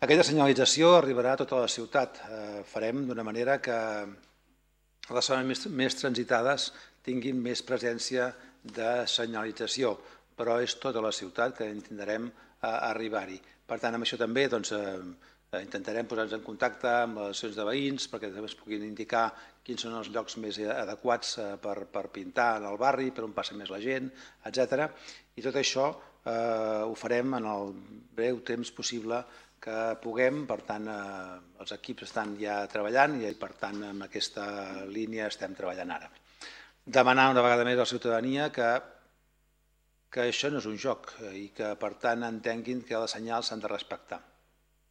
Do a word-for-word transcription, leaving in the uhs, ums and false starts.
Aquesta senyalització arribarà a tota la ciutat. Farem d'una manera que les zones més transitades tinguin més presència de senyalització, però és tota la ciutat que intentarem arribar-hi. Per tant, amb això també intentarem posar-nos en contacte amb les associacions de veïns perquè també es puguin indicar quins són els llocs més adequats per pintar en el barri, per on passa més la gent, etcètera. I tot això ho farem en el breu temps possible que puguem. Per tant, els equips estan ja treballant i, per tant, en aquesta línia estem treballant ara. Demanar una vegada més a la ciutadania que que això no és un joc i que, per tant, entenguin que els senyals s'han de respectar.